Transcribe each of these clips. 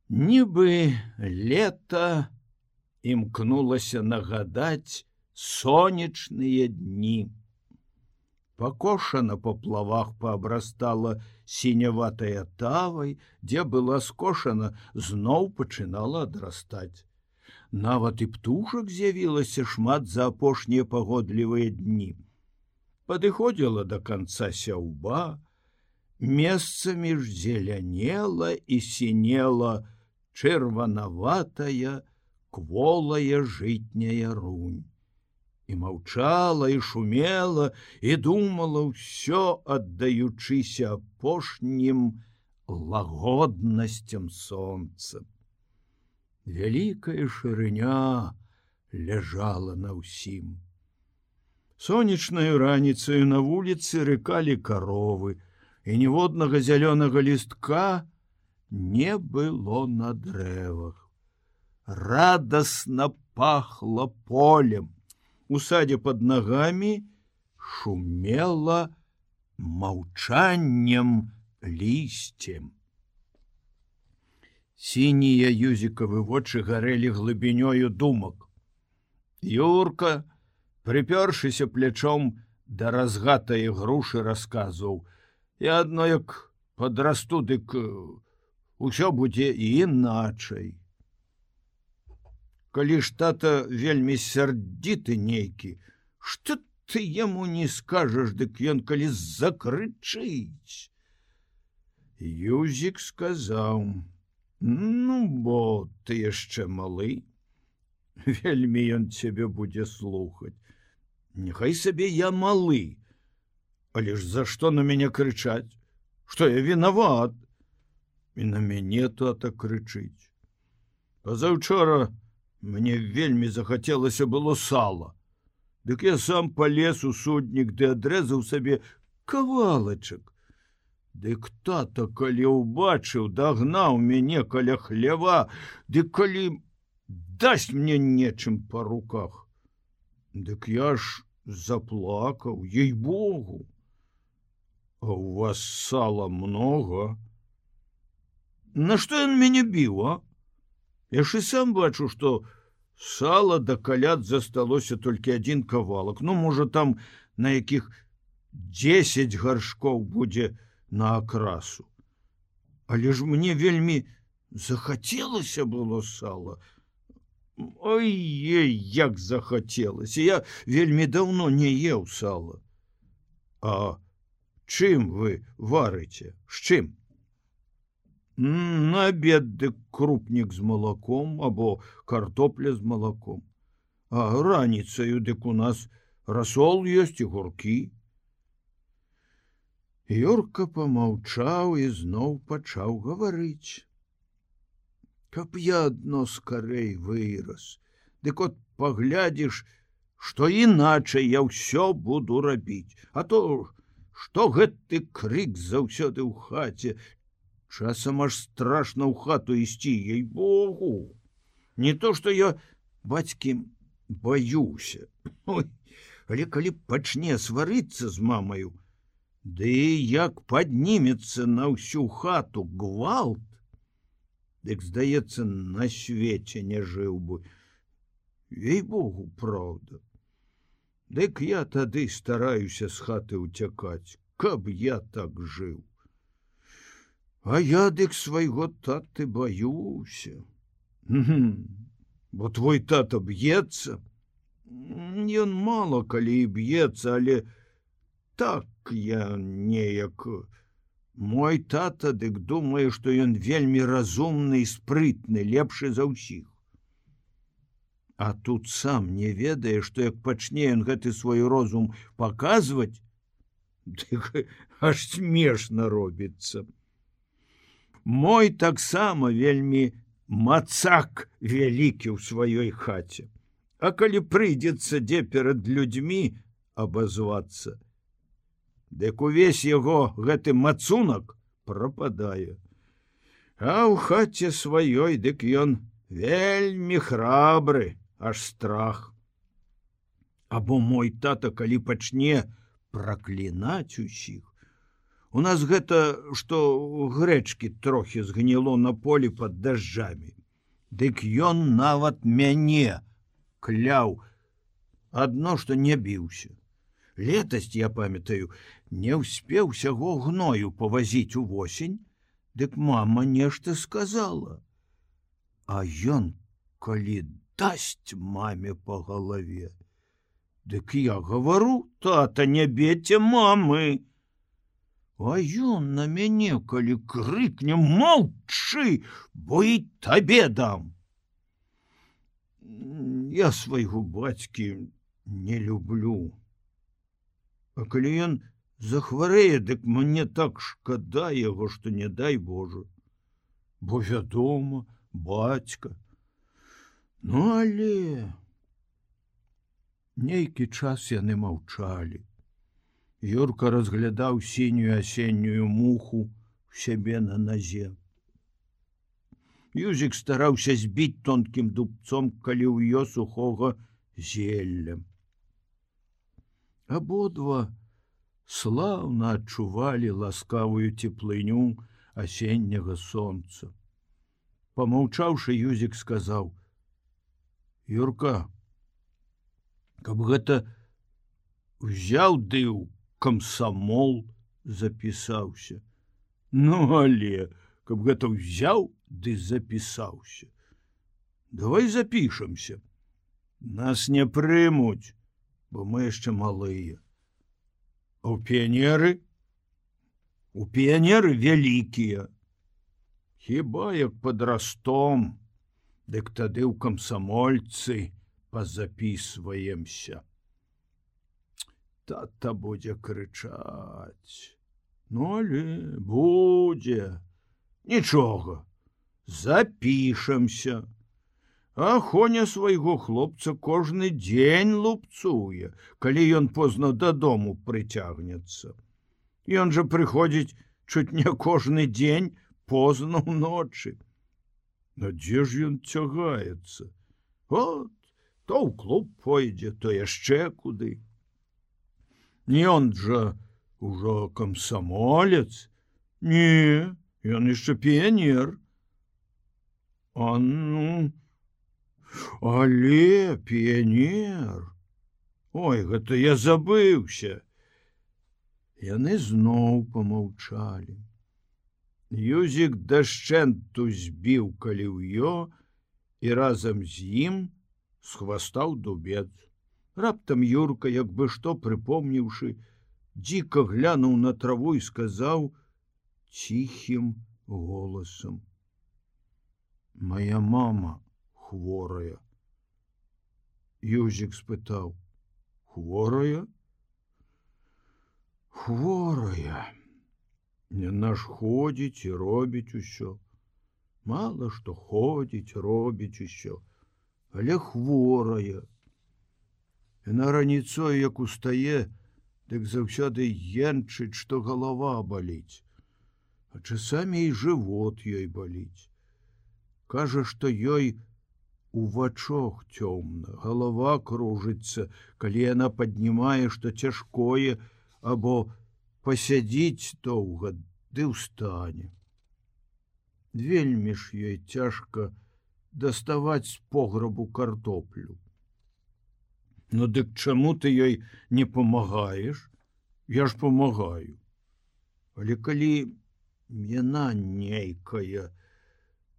Нібы лета імкнулася нагадаць сонечныя дні. Пакошана па плавах паабрастала сіняватая тавай, дзе была скошана, зноў пачынала адрастаць. Нават і птушак з'явілася шмат за апошнія пагодлівыя дні. Падыходзіла да канца сяўба, месцамі ж зелянела і сінела чырванаватая, кволая жытняя рунь. І маўчала, і шумела, і думала ўсё, аддаючыся апошнім лагоднасцям сонца. Вялікая шырыня ляжала на ўсім. Сонечнаю раніцаю на вуліцы рыкалі каровы, і ніводнага зялёнага лістка не было на дрэвах. Радасна пахла полем. У садзе пад нагамі шумела маўчаннем лісцем. Сінія юзікавы вочы гарэлі глыбінёю думак. Юрка, прыпёршыся плячом да разгатае грушы, расказваў: «Я адно як падрасту, дык усё будзе іначай. Калі ж тата вельмі сярдзіты нейкі, што ты яму не скажаш, дык ён калі закрычыць». Юзік сказаў: «Ну, бо ты яшчэ малы, вельмі ён цябе будзе слухаць. Няхай сабе я малы, але ж за што на мяне крычаць? Што я вінават?» І на мяне тата крычыць. Пазаўчора мне вельмі захацелася было сала. Дык я сам палез у суднік ды адрэзаў сабе кавалачак. Дык тата, калі ўбачыў, дагнаў мяне каля хлява, дык калі дасць мне нечым па руках. Дык я ж заплакаў, ей-богу. А у вас сала много? На што ён мяне біў, а? Я ж і сам бачу, што сала да каляд засталося толькі адзін кавалак. Ну, можа, там на якіх 10 гаршкоў будзе на акрасу. Але ж мне вельмі захацелася было сала. Ой-ей, як захацелася. Я вельмі даўно не еў сала. А чым вы варыце? З чым? На абед дык крупнік з малаком або картопля з малаком. А раніцаю дык у нас расол ёсць і гуркі». Юрка помаўчаў і зноў пачаў гаварыць: «Каб я адно скарэй вырас, дык от паглядзіш, што іначай я ўсё буду рабіць. А то што гэты крык заўсёды ў хаце, часам аж страшна ў хату ісці, ей-богу. Не то, што я бацькі баюся. Ой, але калі пачне сварыцца з мамаю, ды як паднімецца на ўсю хату гвалт, дык, здаецца, на свеце не жыў бы. Ей-богу, праўда. Дык я тады стараюся з хаты ўцякаць, каб я так жыў. А я дык свайго таты баюся. Бо твой тата б'ецца. Ён мала калі і б'ецца, але так я неяк. Мой тата дык думае, што ён вельмі разумны і спрытны, лепшы за ўсіх. А тут сам не ведае, што як пачне ён гэты свой розум паказваць, дык аж смешна робіцца. Мой таксама вельмі мацак вялікі ў сваёй хаце. А калі прыйдзецца дзе перад людзьмі абазвацца, дык увесь яго гэты мацунак прападае. А ў хаце сваёй дык ён вельмі храбры, аж страх. Або мой тата, калі пачне праклінаць усіх, У нас гэта, што грэчкі трохі згніло на полі пад дажджамі. Дык ён нават мяне кляў, адно, што не біўся. Летась, я памятаю, не ўспеў усяго гною павазіць увосень, дык мама нешта сказала. А ён, калі дасць маме па галаве, дык я гавару: тата, не бейце мамы. А ён на мяне, калі крыкне: молчы, бо і табе дам. Я свайго бацькі не люблю. А калі ён захварэе, дык мне так шкада яго, што не дай Божа. Бо вядома, бацька. Ну, але нейкі час яны маўчалі. Юрка разглядаў сінюю асеннюю муху у сябе на назе. Юзік стараўся збіць тонкім дубцом каліўё сухога зелля. Абодва слаўна адчувалі ласкавую цеплыню асенняга сонца. Памаўчаўшы, Юзік сказаў: Юрка, каб гэта узяў ды ў камсамол запісаўся. Ну, але каб гэта ўзяў ды запісаўся. Давай запішамся. Нас не прымуць, бо мы яшчэ малыя. А ў піянеры? У піянеры вялікія. Хіба як падрастом, дык тады ў камсамольцы пазапісваемся. Тата будзе крычаць. Ну, але будзе. Нічога, запішамся. А Хоня свайго хлопца кожны дзень лупцуе, калі ён позна дадому прыцягнецца. Ён жа прыходзіць чуць не кожны дзень позна ўночы. А дзе ж ён цягаецца? От, то ў клуб пойдзе, то яшчэ куды. Ён жа ужо камсамолец. Не, ён яшчэ піянер. А ну, але піянер. Ой, гэта я забыўся. Яны зноў памаўчалі. Юзік дашчэнту збіў каліўё і разам з ім схвастаў дубец. Раптам Юрка, як бы што прыпомніўшы, дзіка глянуў на траву і сказаў ціхім голасам: Мая мама хворая. Юзік спытаў: хворая? Хворая. Яна ж ходзіць і робіць усё. Мала што ходзіць, робіць усё, але хворая. Яна раніцой, як устае, дык заўсёды енчыць, што галава баліць, а часамі і жывот ёй баліць. Кажа, што ёй у вачах цёмна, галава кружыцца, калі яна паднімае што цяжкое або пасядзіць доўга ды ўстане. Вельмі ж ёй цяжка даставаць з пограбу картоплю. Ну дык чаму ты ёй не памагаеш? Я ж памагаю. Але калі яна нейкая,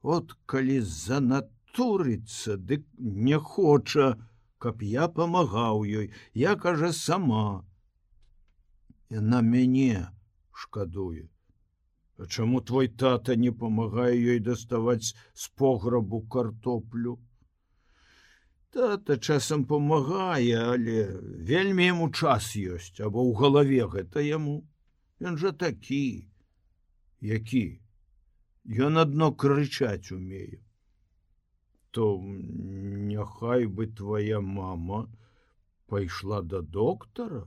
от калі занатурыцца, дык не хоча, каб я памагаў ёй, я, кажа, сама. Яна мяне шкадуе. А чаму твой тата не памагае ёй даставаць з пограбу картоплю? Тата часам памагае, але вельмі яму час ёсць, або ў галаве гэта яму. Ён жа такі. Які? Ён адно крычаць умее. То няхай бы твоя мама пайшла да доктара?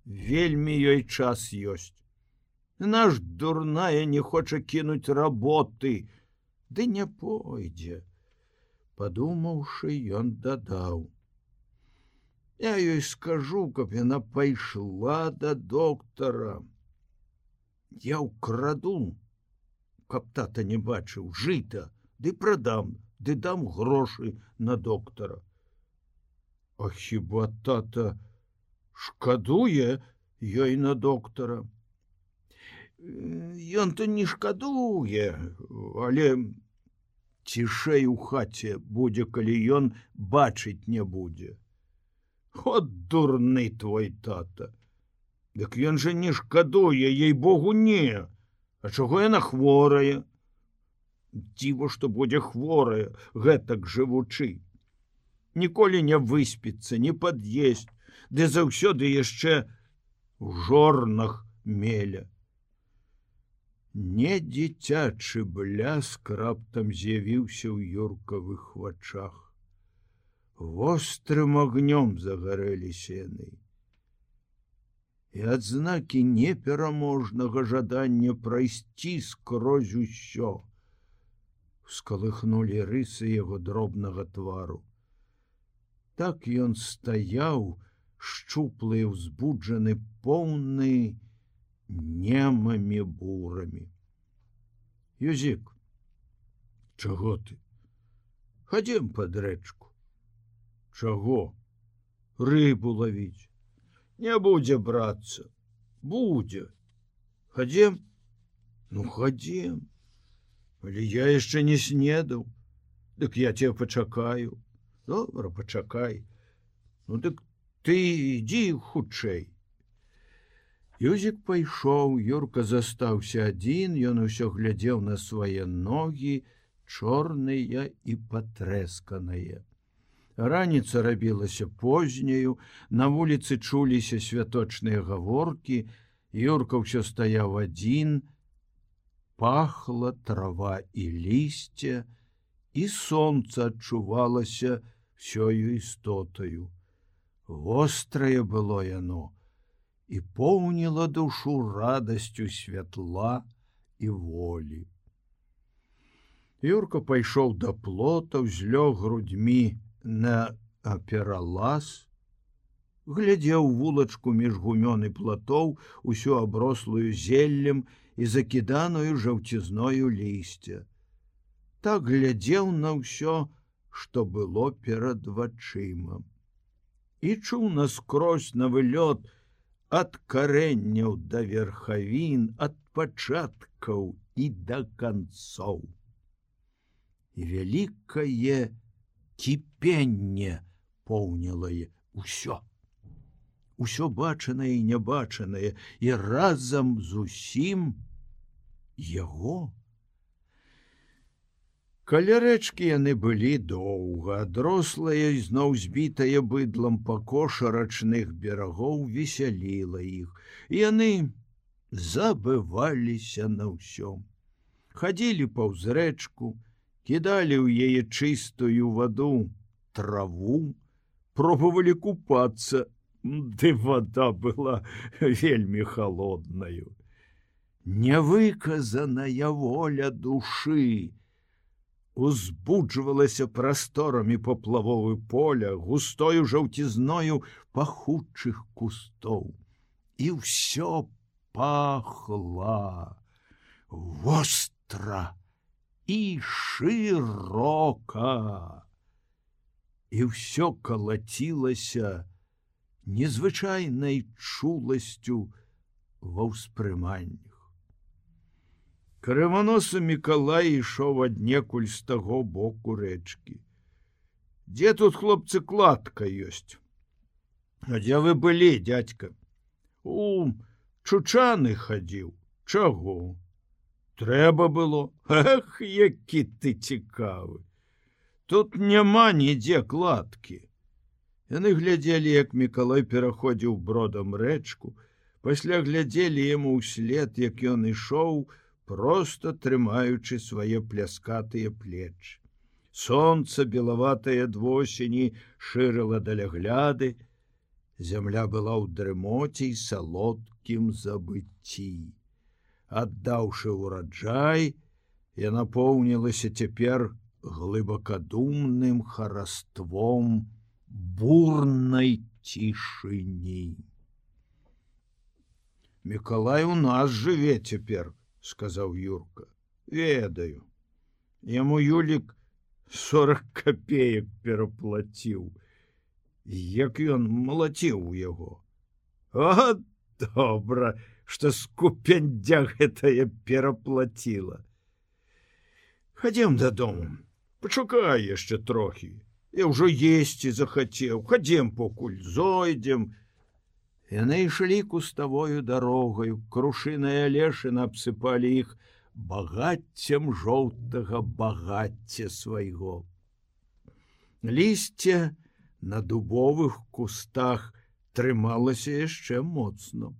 Вельмі ёй час ёсць. Наш дурная не хоча кінуць работы, ды не пойдзе. Падумаўшы, ён дадаў: я ёй скажу, каб яна пайшла да доктара. Я ўкраду, каб тата не бачыў, жыта, ды прадам, ды дам грошы на доктара. А хіба тата шкадуе ёй на доктара? Ён-то не шкадуе, але цішэй у хаце будзе, калі ён бачыць не будзе. От дурны твой тата. Дык ён жа не шкадуе, ей-богу, не. А чаго яна хворая? Дзіва, што будзе хворая, гэтак жывучы. Ніколі не выспіцца, не пад'есць, ды заўсёды яшчэ у жорнах меля. Не дзіцячы бляск раптам з'явіўся ў Юркавых вачах. Вострым агнём загарэліся яны. І адзнакі непераможнага жадання прайсці скрозь усё скалыхнулі рысы яго дробнага твару. Так ён стаяў, шчуплы, узбуджаны, поўны немамі бурамі. Юзік, чаго ты? Хадзем пад рэчку. Чаго? Рыбу лавіць. Не будзе, братца, будзе. Хадзем? Ну, хадзем. Але я яшчэ не снедаў. Дык я цябе пачакаю. Добра, пачакай. Ну, дык ты ідзі хутчэй. Юзік пайшоў, Юрка застаўся адзін, ён усё глядзеў на свае ногі, чорныя і патрэсканыя. Раніца рабілася позняю, на вуліцы чуліся святочныя гаворкі, Юрка ўсё стаяў адзін, пахла трава і лісце, і сонца адчувалася всёю істотаю. Вострае было яно і поўніла душу радасцю святла і волі. Юрка пайшоў да плота, узлёг грудьмі на пералаз, глядзеў вулачку між гумён і платоў, усю аброслую зеллем і закіданую жаўцізною лісця. Так глядзеў на ўсё, што было перад вачыма. І чуў наскрозь на вылёт ад карэнняў да верхавін, ад пачаткаў і да канцоў. І вялікае кіпенне поўніла ўсё. Усё бачанае і нябачанае, і разам з усім яго. Каля рэчкі яны былі доўга, адрослая, зноў збітая быдлам пакоша рачных берагоў весяліла іх. Яны забываліся на ўсё. Хадзілі паўз рэчку, кідалі ў яе чыстую ваду траву, пробавалі купацца, ды вада была вельмі халоднаю. Невыказаная воля душы узбуджвалася прасторамі паплавовы поля, густою жаўцізною пахучых кустоў. І ўсё пахла востра і шырока. І ўсё калацілася незвычайнай чуласцю ва ўспрыманнях. Крываносы Мікалай ішоў аднекуль з таго боку рэчкі. Дзе тут, хлопцы, кладка ёсць? А дзе вы былі, дядька? У Чучаны хадзіў. Чаго? Трэба было. Эх, які ты цікавы. Тут няма нідзе кладкі. Яны глядзелі, як Мікалай пераходзіў бродам рэчку, пасля глядзелі яму ўслед, як ён ішоў, проста трымаючы свае пляскатыя плечы. Сонца белаватае ад восені шырыла далягляды, зямля была ў дрымоце і салодкім забыцці. Аддаўшы ўраджай, яна поўнілася цяпер глыбакадумным хараством бурнай цішыні. Мікалай у нас жыве цяпер, сказаў Юрка. Ведаю. Яму Юлік 40 копеек пераплаціў. Як ён малаціў у яго. А, добра, што скупяндзя гэтая пераплаціла. Хадзем дадому. Пачакай яшчэ трохі. Я ўжо есці захацеў. Хадзем покуль зойдзем. Яны ішлі куставою дарогаю. Крушыныя лешыны абсыпалі іх багаццем жоўтага багацця свайго. Лісце на дубовых кустах трымалася яшчэ моцна.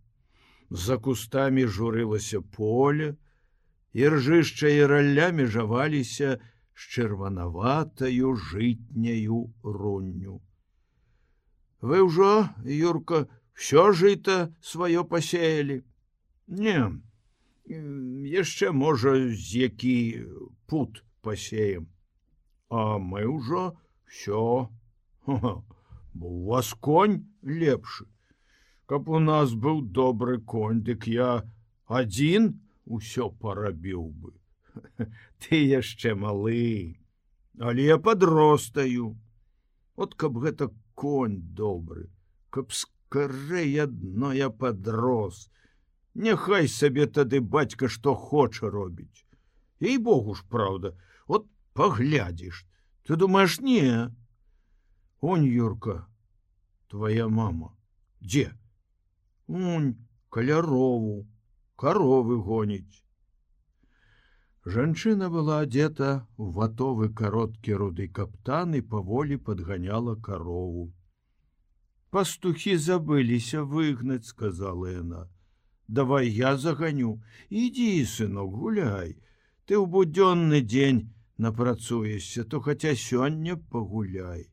За кустамі журылася поле, і ржышча і ралля межаваліся з чырванаватаю жытняю рунню. Вы ўжо, Юрка, всё жыта сваё пасеялі? Не, яшчэ, можа, з які пут пасеем. А мы ўжо всё. Бо у вас конь лепшы. Каб у нас быў добры конь, дык я адзін усё парабіў бы. Ты яшчэ малы, але я падростаю. От каб гэта конь добры, каб скарэй адно я падрос. Няхай сабе тады бацька што хоча робіць. Ей-богу ж, праўда, от паглядзіш. Ты думаеш, не? Онь, Юрка, твоя мама. Дзе? Онь, каля рову, каровы гоніць. Жанчына была адзета ў ватовы кароткі руды каптан і паволі падганяла карову. Пастухі забыліся выгнаць, сказала яна. Давай я заганю. Ідзі, сынок, гуляй. Ты ў будзённы дзень напрацуешся, то хаця сёння пагуляй.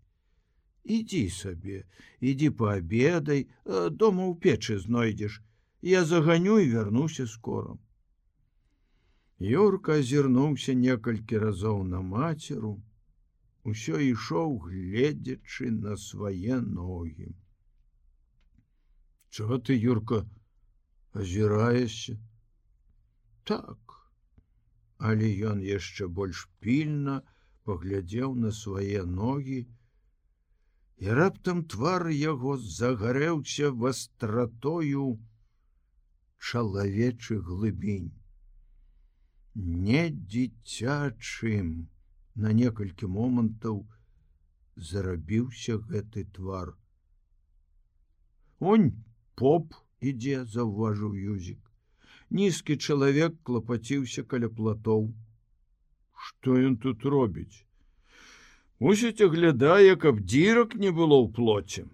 Ідзі сабе, ідзі паабедай, дома ў печы знойдзеш. Я заганю і вярнуся скора. Юрка азірнуўся некалькі разоў на мацеру, усё ішоў, гледзячы на свае ногі. Чаго ты, Юрка, азіраешся? Так. Але ён яшчэ больш пільна паглядзеў на свае ногі, і раптам твар яго загарэўся вастратою чалавечых глыбінь. Не дзіцячым, на некалькі момантаў зарабіўся гэты твар. Онь поп ідзе, заўважыў Юзік. Нізкі чалавек клапаціўся каля платоў. Што ён тут робіць? Мусіць, аглядае, каб дзірак не было ў плоце.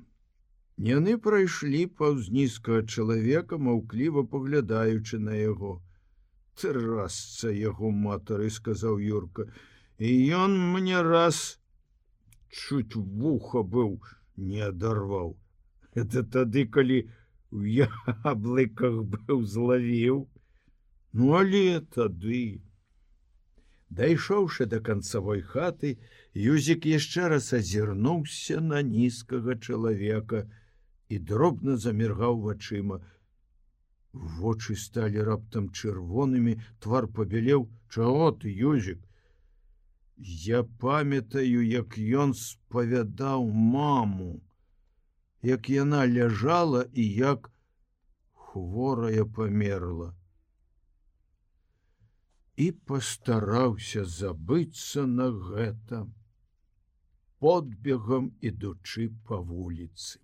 Яны прайшлі паўз нізкага чалавека, маўкліва паглядаючы на яго. Трасца яго матары, сказаў Юрка, і ён мне раз чуць вуха быў не адарваў. Это тады, калі у яблыках быў злавіў. Ну, але тады... Дайшоўшы да канцавой хаты, Юзік яшчэ раз азірнуўся на нізкага чалавека і дробна заміргаў вачыма. Вочы сталі раптам чырвонымі, твар пабялеў. Чаго ты, Юзік? Я памятаю, як ён спавядаў маму, як яна ляжала і як хворая памерла. І пастараўся забыцца на гэта, подбегам ідучы па вуліцы.